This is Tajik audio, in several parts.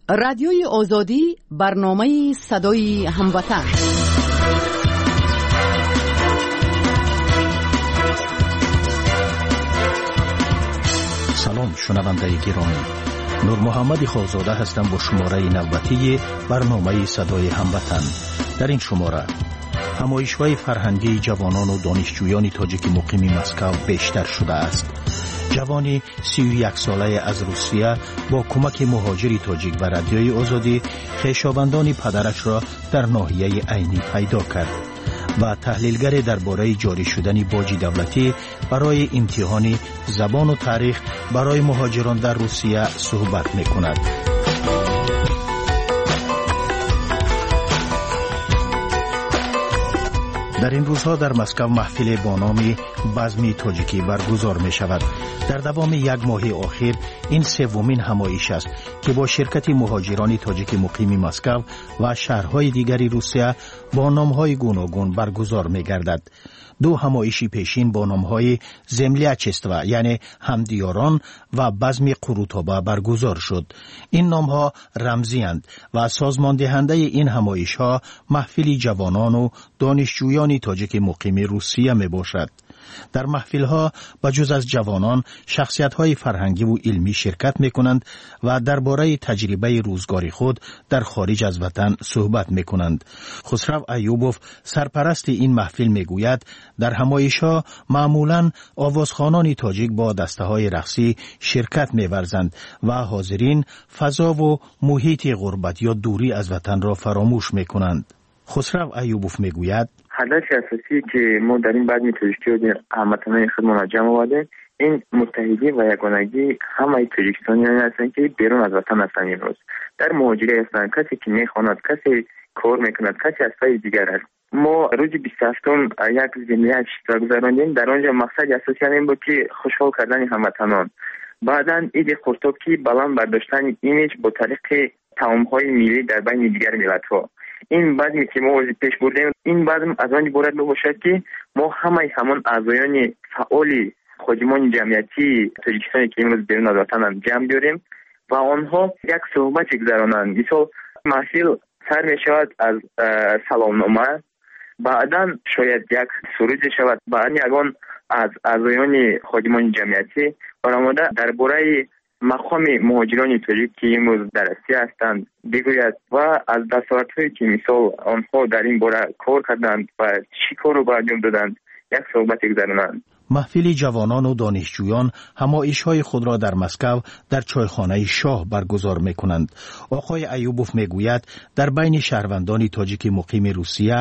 Радиои Озодӣ, барномаи Садои Ҳамватан. Салом, шунавандаи гиромӣ. Нурмуҳаммади Холзода ҳастам бо шумораи навбатии барномаи Садои Ҳамватан. Дар ин шумора ҳамоишҳои фарҳангии ҷавонону донишҷӯёни тоҷики муқими Москав бештар шудааст. Ҷавони 31-солае аз Русия бо кӯмаки муҳоҷири тоҷик ва Радиои Озодӣ хешовандони падарашро дар ноҳияи Айнӣ пайдо кард ва таҳлилгаре дар бораи ҷорӣ шудани боҷи давлатӣ барои имтиҳони забону таърих барои муҳоҷирон дар Русия суҳбат мекунад. Дар ин рӯзҳо дар Москав маҳфиле бо номи Базми тоҷикӣ баргузор мешавад. Дар давоми як моҳи охир ин севумин ҳамоиш аст, ки бо ширкати муҳоҷирони тоҷики муқими Москав ва шаҳрҳои дигари Русия бо номҳои гуногун баргузор мегардад. Ду ҳамоиши пешин бо номҳои Землячество, яъне ҳамдиёрон, ва Базми Қурутоба баргузор шуд. Ин номҳо рамзиянд ва созмондиҳандаи ин ҳамоишҳо маҳфили ҷавонону донишҷӯёни тоҷики муқими Русия мебошад. Дар маҳфилҳо ба ҷуз аз ҷавонон шахсиятҳои фарҳангиву илмӣ ширкат мекунанд ва дар бораи таҷрибаи рӯзгори худ дар хориҷ аз ватан суҳбат мекунанд. Хусрав Аюбов, сарпарасти ин маҳфил, мегӯяд, дар ҳамоишҳо маъмулан овозхонони тоҷик бо дастаҳои рақсӣ ширкат меварзанд ва ҳозирин фазову муҳити ғурбат ё дурӣ аз ватанро фаромӯш мекунанд. Хусрав Аюбов мегӯяд: ҳадафи асосие, ки мо дар ин базми тоҷикӣ ҳамватанони худмонро ҷамъ овардем, ин муттаҳидӣ ва ягонагии ҳамаи тоҷикистониёне ҳастанд, ки берун аз ватан ҳастанд, имрӯз дар муҳоҷирӣ ҳастанд. Касе ки мехонад, касе кор мекунад, касе аз пайи дигар аст. Мо рӯзи 27-ум як землячество гузарондем. Дар он ҷо мақсади асосӣ ҳамин буд, ки хушҳол кардани ҳамватанон, баъдан иди Қуртоб, ки баланд бардоштани имиҷ бо тариқи таомҳои миллӣ дар байни дигар миллатҳо. Ин базме, ки мо пеш бурдем, ин базм аз он иборат мебошад, ки мо ҳамаи ҳамон аъзоёни фаъоли ходимони ҷамъиятии тоҷикистоне, ки имрӯз берун аз ватананд, ҷамъ биёрем ва онҳо як суҳбате гузаронанд. Мисол, маҳфил сар мешавад аз саломнома, баъдан шояд як суруде шавад, баъдан ягон аз аъзоёни ходимони ҷамъиятӣ баромада дар бораи мақоми муҳоҷирони тоҷик, ки имрӯз дар Россия ҳастанд, бигӯяд ва аз дастовардҳое, ки мисол онҳо дар ин бора кор карданд ва чӣ корро ба анҷом доданд, як суҳбате гузаронанд. Маҳфили ҷавонону донишҷӯён ҳамоишҳои худро дар Москав дар чойхонаи Шоҳ баргузор мекунанд. Оқои Аюбов мегӯяд, дар байни шаҳрвандони тоҷики муқими Русия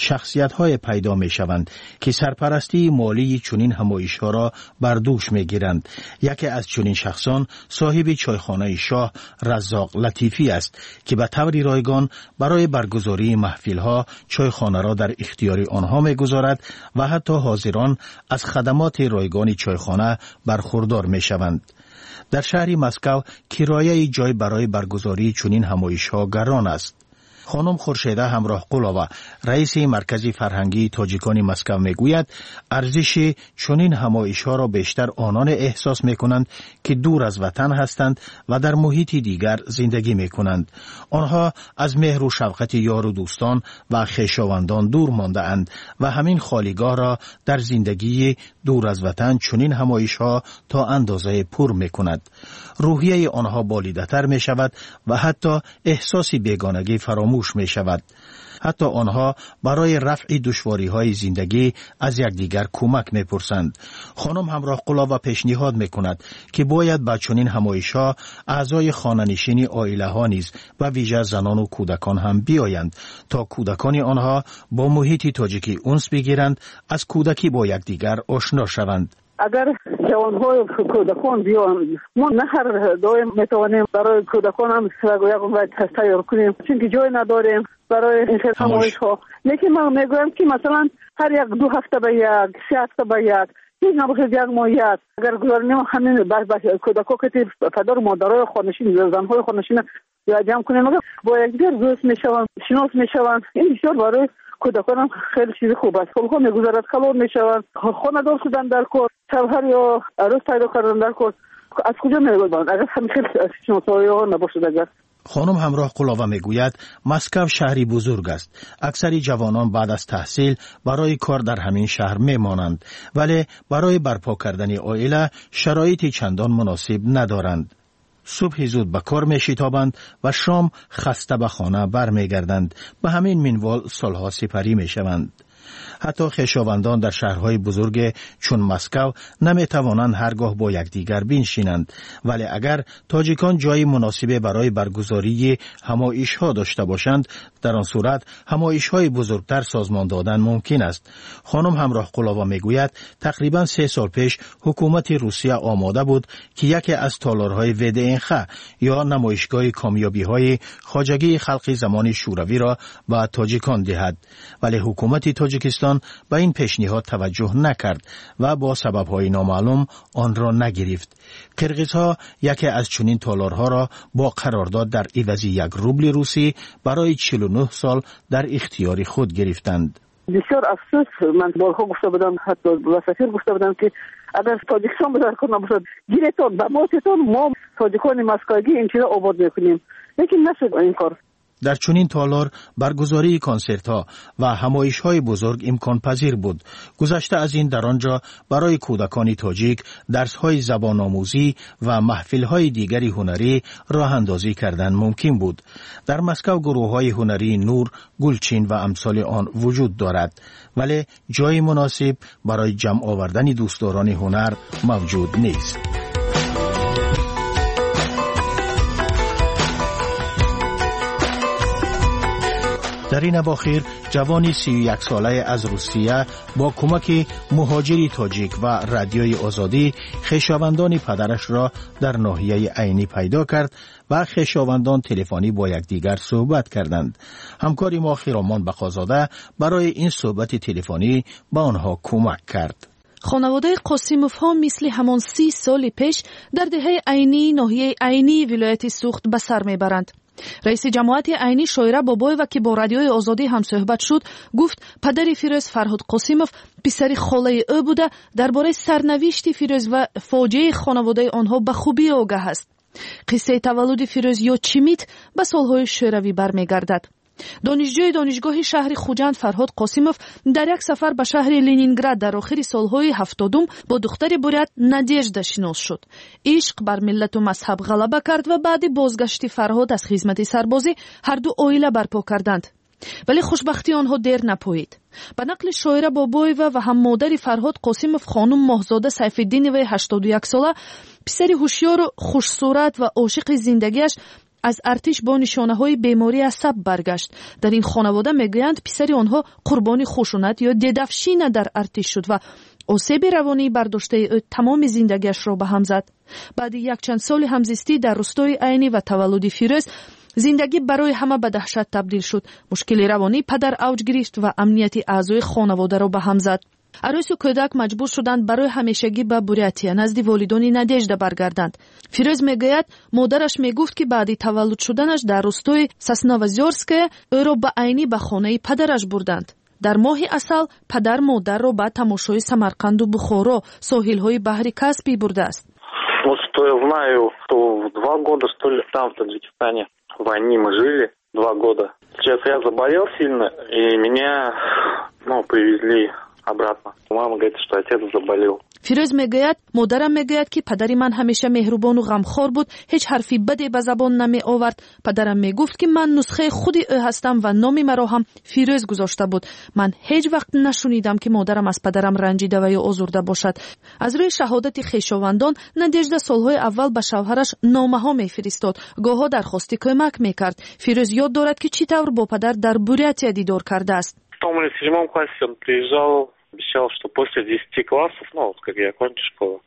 шахсиятҳое пайдо мешаванд, ки сарпарастии молии чунин ҳамоишҳоро бар дӯш мегиранд. Яке аз чунин шахсон соҳиби чойхонаи Шоҳ Раззоқ Латифӣ аст, ки ба таври ройгон барои баргузории маҳфилҳо чойхонаро дар ихтиёри онҳо мегузорад ва ҳатто ҳозирон аз хадамоти ройгони чойхона бархурдор мешаванд. Дар шаҳри Москав кирояи ҷой барои баргузории чунин ҳамоишҳо гарон аст. Хонум Хуршеда Ҳамроҳқулова, раиси Маркази фарҳангии тоҷикони Москав, мегӯяд, арзиши чунин ҳамоишҳоро бештар ононе эҳсос мекунанд, ки дур аз ватан ҳастанд ва дар муҳити дигар зиндагӣ мекунанд. Онҳо аз меҳру шавқати ёру дӯстон ва хешовандон дур мондаанд ва ҳамин холигоҳро дар зиндагии дур аз ватан чунин ҳамоишҳо то андозае пур мекунад. Рӯҳияи онҳо болидатар мешавад ва ҳатто эҳсоси бегонагӣ фаромӯш мешавад. Ҳатто онҳо барои рафъи душвориҳои зиндагӣ аз якдигар кӯмак мепурсанд. Хонум Ҳамроҳқулова пешниҳод мекунад, ки бояд ба чунин ҳамоишҳо аъзои хонанишини оилаҳо низ, ба вижа занону кӯдакон ҳам биёянд, то кӯдакони онҳо бо муҳити тоҷикӣ унс бигиранд, аз кӯдакӣ бо якдигар ошно шаванд. Агар ҷавонҳои кӯдакон биёянд, мо на ҳар доим метавонем барои кӯдаконам ягон тайёр кунем, чунки ҷой надорем барои ин хел ҳамоишҳо. Лекин ман мегӯям, ки масалан ҳар як 2 ҳафта ба як, 3 ҳафта ба як, ҳеҷ набошад як моҳ як агар гузаронем, ҳамин кӯдако кати падару модарои хонашин, занҳои хонашин ҷамъ кунем, бо якдигар дӯст мешаванд, шинос мешаванд. Ин бисёр барои кӯдаконам хеле чизи хуб аст. Солҳо мегузарад, калон мешаванд, хонадор шудан дар кор, шавҳар ё арӯс пайдо кардан дар кор. Аз куҷо меёбанд, агар ҳамин хел шиносоиҳо набошад агар? Хонум Ҳамроҳқулова мегӯяд, Москав шаҳри бузург аст. Аксари ҷавонон баъд аз таҳсил барои кор дар ҳамин шаҳр мемонанд, вале барои барпо кардани оила шароити чандон муносиб надоранд. Субҳи зуд ба кор мешитобанд ва шом хаста ба хона бармегарданд. Ба ҳамин минвол солҳо сипарӣ мешаванд. Ҳатто хешовандон дар шаҳрҳои бузурге чун Москав наметавонанд ҳар гоҳ бо якдигар биншинанд. Вале агар тоҷикон ҷои муносибе барои баргузории ҳамоишҳо дошта бошанд, дар он сурат ҳамоишҳои бузургтар созмон додан мумкин аст. Хонум Ҳамроҳқулова мегӯяд, тақрибан 3 сол пеш ҳукумати Русия омода буд, ки яке аз толорҳои ВДНХ ё намоишгоҳи комёбиҳои хоҷагии халқи замони Шӯравиро ба тоҷикон диҳад, вале ҳукумати Тоҷикистон ба ин пешниҳод таваҷҷӯҳ накард ва бо сабабҳои номаълум онро нагирифт. Қирғизҳо яке аз чунин толорҳоро бо қарордод дар ивази 1 рубли русӣ барои 49 сол дар ихтиёри худ гирифтанд. Бисёр афсӯс. Ман борҳо гуфта будам, ҳатто ба сафир гуфта будам, ки агар Тоҷикистон ба кор набошад, гиретон, ба мо тетон, мо тоҷикони москвагӣ ин чизо обод мекунем, лекин нашуд ин кор. Дар чунин толор баргузории консертҳо ва ҳамоишҳои бузург имконпазир буд. Гузашта аз ин, дар он ҷо барои кӯдакони тоҷик дарсҳои забономӯзӣ ва маҳфилҳои дигари ҳунарӣ роҳандозӣ кардан мумкин буд. Дар Москав гурӯҳҳои ҳунарии Нур, Гулчин ва амсоли он вуҷуд дорад, вале ҷои муносиб барои ҷамъ овардани дӯстдорони ҳунар мавҷуд нест. Дар ин авохир ҷавони 31-солае аз Русия бо кӯмаки муҳоҷири тоҷик ва Радиои Озодӣ хешовандони падарашро дар ноҳияи Айнӣ пайдо кард ва хешовандон телефонӣ бо якдигар суҳбат карданд. Ҳамкори мо Хиромон Бақозода барои ин суҳбати телефонӣ ба онҳо кӯмак кард. Хонаводаи Қосимовҳо мисли ҳамон 30 соли пеш дар деҳаи Айнии ноҳияи Айнии вилояти Суғд ба сар мебаранд. Раиси ҷамоати Айнӣ Шоира Бобоева, ки бо Радиои Озодӣ ҳамсӯҳбат шуд, гуфт, падари Фирӯз, Фарҳод Қосимов, писари холаи ӯ буда, дар бораи сарнавишти Фирӯз ва фоҷиаи хонаводаи онҳо ба хубӣ огаҳ аст. Қиссаи таваллуди Фирӯз ё Чимит ба солҳои шӯравӣ бармегардад. Донишҷӯи донишгоҳи шаҳри Хуҷанд Фарҳод Қосимов дар як сафар ба шаҳри Ленинград дар охири солҳои 70-ум бо духтари бурят Надежда шинос шуд. Ишқ бар миллату мазҳаб ғалаба кард ва баъди бозгашти Фарҳод аз хизмати сарбозӣ ҳарду оила барпо карданд. Вале хушбахтии онҳо дер напоид. Ба нақли Шоира Бобоева ва ҳам модари Фарҳод Қосимов, хонум Моҳзода Сайфиддиноваи 81-сола, писари ҳушёру хушсурат ва ошиқи зиндагиаш аз артиш бо нишонаҳои бемории асаб баргашт. Дар ин хонавода мегӯянд, писари онҳо қурбони хушунат ё дедовщина дар артиш шуд ва осеби равонии бардоштаи ӯ тамоми зиндагиашро ба ҳам зад. Баъди якчанд соли ҳамзистӣ дар рустои Айнӣ ва таваллуди Фирӯз зиндагӣ барои ҳама ба даҳшат табдил шуд. Мушкили равонӣ падар авҷ гирифт ва амнияти аъзои хонаводаро ба ҳам зад. Арӯсу кӯдак маҷбур шуданд барои ҳамешагӣ ба Бурятия, назди волидони Надежда баргарданд. Фирӯз мегӯяд, модараш мегуфт, ки баъди таваллуд шуданаш дар рустои Сосновозёрская ӯро ба Айнӣ, ба хонаи падараш бурданд. Дар моҳи асал падар модарро ба тамошои Самарқанду Бухоро, соҳилҳои баҳри Каспий бурдааст. Вот что я знаю, что в 2 года, что ли, там, в Таджикистане, в Айни мы жили 2 года. Сейчас я заболел сильно, и меня, ну, привезли обратно. Мама говорит, что отец заболел. Фирӯз мегӯяд, модарам мегӯяд, ки падари ман ҳамеша меҳрубону ғамхор буд, ҳеҷ ҳарфи баде ба забон намеовард. Падарам мегуфт, ки ман нусхаи худи ӯ ҳастам ва номи маро ҳам Фирӯз гузошта буд. Ман ҳеҷ вақт нашунидам, ки модарам аз падарам ранҷида ва ё озурда бошад. Аз рӯи шаҳодати хешовандон, Надежда солҳои аввал ба шавҳараш номаҳо мефиристод, гоҳҳо дархости кӯмак мекард. Фирӯз ёд дорад, ки чӣ тавр бо падар дар Бурятия дидор кардааст. В шестом или седьмом классе он приезжал, обещал, что после 10 классов, ну, вот как я окончу школу,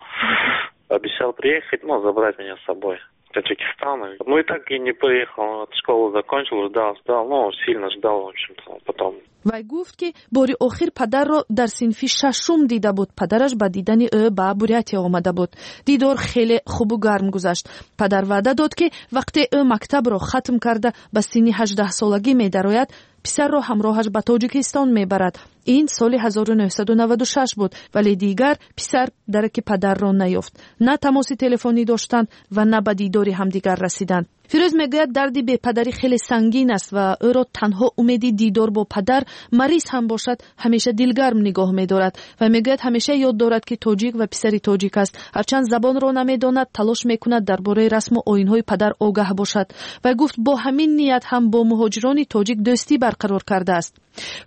обещал приехать, ну, забрать меня с собой в Таджикистан. Ну и так и не приехал, он школу закончил, ждал, ждал, ну, сильно ждал, в общем-то, потом. Вай гуфт, ки бори охир падарро дар синфи шашум дида буд. Падараш ба дидани ӯ ба Бурятия омада буд. Дидор хеле хубу гарм гузашт. Падар ваъда дод, ки вақте ӯ мактабро хатм карда, ба синни 18-солагӣ медарояд. Писарро ҳамроҳаш ба Тоҷикистон мебарад. Ин соли 1996 буд, вале дигар писар дараки падарро наёфт. На тамоси телефонӣ доштанд ва на ба дидори ҳамдигар расиданд. Фирӯз мегӯяд, дарди бепадарӣ хеле сангин аст ва ӯро танҳо умеди дидор бо падар, мариз ҳам бошад, ҳамеша дилгарм нигоҳ медорад ва мегӯяд, ҳамеша ёд дорад, ки тоҷик ва писари тоҷик аст. Ҳарчанд забонро намедонад, талош мекунад дар бораи расму оинҳои падар огаҳ бошад ва гуфт, бо ҳамин ният ҳам бо муҳоҷирони тоҷик дӯстӣ барқарор кардааст.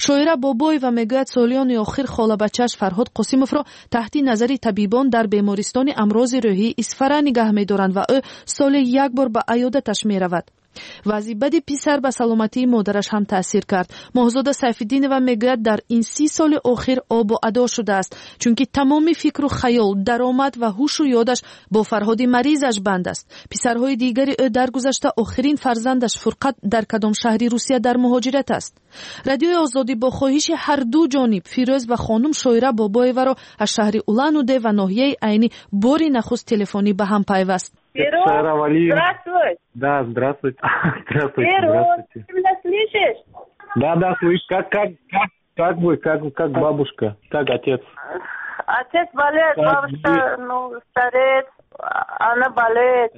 Шоира Бобоева мегӯяд, солиёни охир холабачааш Фарҳод Қосимовро таҳти назари табибон дар бемористони амрози рӯҳии Исфара нигаҳ медоранд ва ӯ соли як бор ба аёдаташ меравад. Вазъи бади писар ба саломатии модараш ҳам таъсир кард. Моҳзода Сайфиддинова мегӯяд, дар ин 30 соли охир обу адо шудааст, чунки тамоми фикру хаёл, даромад ва ҳушу ёдаш бо Фарҳоди маризаш банд аст. Писарҳои дигари ӯ даргузашта, охирин фарзандаш Фурқат дар кадом шаҳри Русия дар муҳоҷират аст. Радиои Озодӣ бо хоҳиши ҳарду ҷониб Фирӯз ва хонум Шоира Бобоеваро аз шаҳри Улан-Удэ ва ноҳияи Айнӣ бори нахуст телефонӣ ба ҳам пайваст. Здравствуй. Да, здравствуйте. Здравствуйте. Здравствуйте. Ты меня слышишь? Да, да, слышу. Как вы, как бабушка, как отец? Отец болеет, бабушка, ну, стареет, она болеет.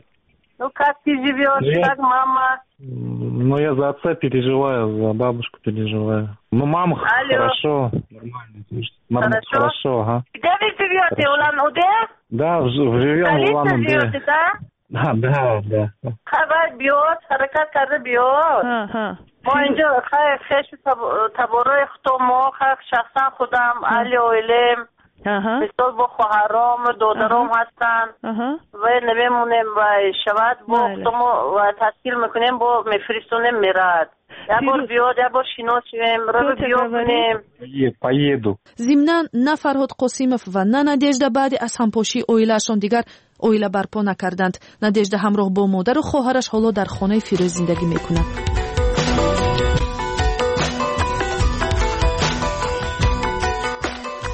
Ну, как ты живешь, как мама? Ну, я за отца переживаю, за бабушку переживаю. Ну, мама хорошо, нормально. Хорошо? Хорошо, ага. Где вы живете, Улан-Удэ? Да, живем в Улан-Удэ. Живете, да? Да, да, да. Хабар биёд, ҳаракат карда биёд. Мо инҷо хешу таборои худо, шахсан худам, аҳли оилем. Мисол бо хоҳаром, додаром ҳастанд. Ва намемонем, ва шавад бо худомо ташкил мекунем, бо мефиристонем, мерад. Як бор биёд, як бор шинос шавем, роро биё кунем. Поеду. Зимнан на Фарҳод Қосимов ва на Надежда баъди аз ҳампошии оилаашон дигар оила барпо накарданд. Надежда ҳамроҳ бо модару хоҳараш ҳоло дар хонаи Фирӯз зиндагӣ мекунад.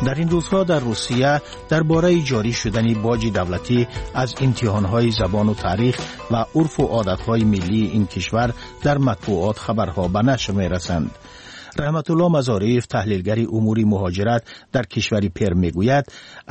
Дар ин рӯзҳо дар Русия дар бораи ҷорӣ шудани боҷи давлатӣ аз имтиҳонҳои забону таърих ва урфу одатҳои миллии ин кишвар дар матбуот хабарҳо ба нашр мерасанд. Раҳматулло Мазориев, таҳлилгари умури муҳоҷират дар кишвари Перм, мегӯяд,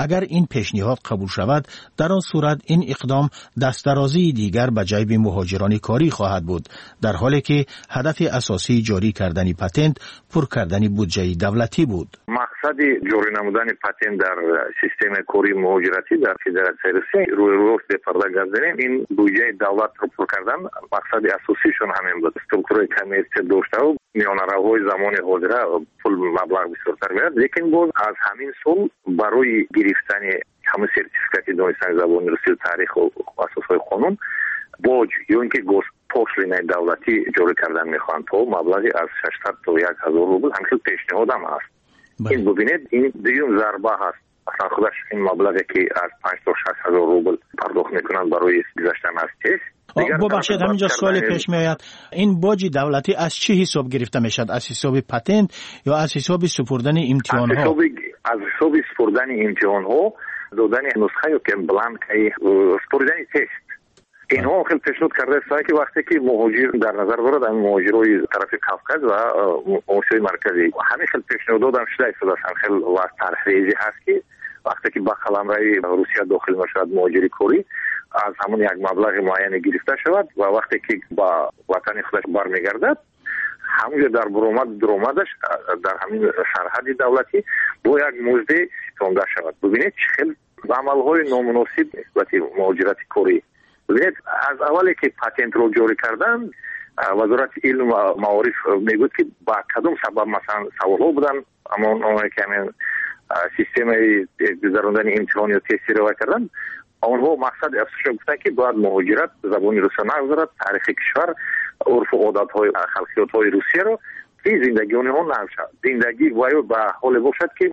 агар ин пешниҳод қабул шавад, дар он сурат ин иқдом дастдарозии дигар ба ҷайби муҳоҷирони корӣ хоҳад буд, дар ҳоле ки ҳадафи асосии ҷорӣ кардани патент пур кардани буҷаи давлатӣ буд. Мақсади ҷорӣ намудани патент дар системаи кории муҳоҷиратӣ дар Федератсияи Русия, рӯйрост бепарда гап занем, ин буҷаи давлатро пур кардан мақсади асосишон ҳамин буд. Структураи коммерсия доштаву миёнаравҳои замони ҳозира пул маблағ бисёртар меояд, лекин боз аз ҳамин сол барои гирифтани ҳамин сертификати донистани забони русию таъриху асосҳои қонун боҷ ё ин ки госпошлинаи давлатӣ ҷорӣ кардан мехоҳанд то маблағи аз 600 то 1000 рубл. Ҳамин хел пешниҳодам ҳаст. Ин бубинед, ин дуюм зарба ҳаст. Аслан худаш ин маблағе ки аз 5 то 6 ҳазор рубл пардохт мекунанд барои гузаштан аз тест. Бубахшед, ҳаминҷо суоле пеш меояд. Ин боҷи давлатӣ аз чӣ ҳисоб гирифта мешавад? Аз ҳисоби патент ё аз ҳисоби супурдани имтиҳонҳо? Аз ҳисоби супурдани имтиҳонҳо, додани нусха ё ки бланкаи супурдани тест. Инҳо хеле пешниҳод кардаистанд, ки вақте ки муҳоҷир дар назар дорад ҳамин муҳоҷирои тарафи Кавказ ва Осиёи Марказӣ, ҳамин хел пешниҳодот ҳам шуда истодааст. Ҳамин хел ва тарҳрезӣ ҳаст, ки вақте ки ба қаламрави Русия дохил мешавад муҳоҷири корӣ, аз ҳамон як маблағи муайяне гирифта шавад ва вақте ки ба ватани худаш бармегардад, ҳамонҷо дар буромад дуромадаш дар ҳамин сарҳади давлатӣ бо як музде ситонда шавад. Бубинед, чӣ хел амалҳои номуносиб нисбати муҳоҷирати корӣ. Бубинед, аз аввале ки патентро ҷорӣ кардан, Вазорати илм ва маориф мегӯяд, ки ба кадом сабаб, масалан, саволҳо буданд, аммо оное ки ҳамин системаи гузарондани имтиҳон ё тести ривоя кардан, онҳо мақсади асосиро гуфтанд, ки бояд муҳоҷират забони русия нагузарад, таърихи кишвар, урфу одатҳои халқиётҳои Русияро, ки зиндагии онҳо нағз шавад, зиндагӣ ва ба ҳоле бошад, ки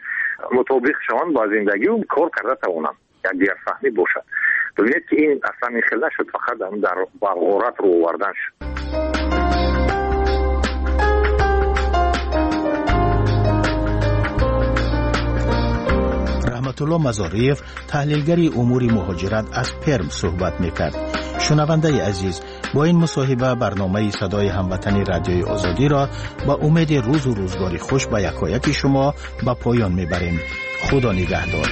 мутобиқ шаванд ба зиндагию кор карда тавонанд, якдигарфаҳмӣ бошад. Бубинед, ки ин аслан ин хел нашуд, фақат дар ба ғорат рӯ овардан шуд. Раҳматулло Мазориев, таҳлилгари умури муҳоҷират аз Перм, суҳбат мекард. Шунавандаи азиз, Бо ин мусоҳиба барномаи Садои ҳамватани Радиои Озодиро ба умеди рӯзу рӯзгори хуш ба якояки шумо ба поён мебарем. Худо нигаҳдор.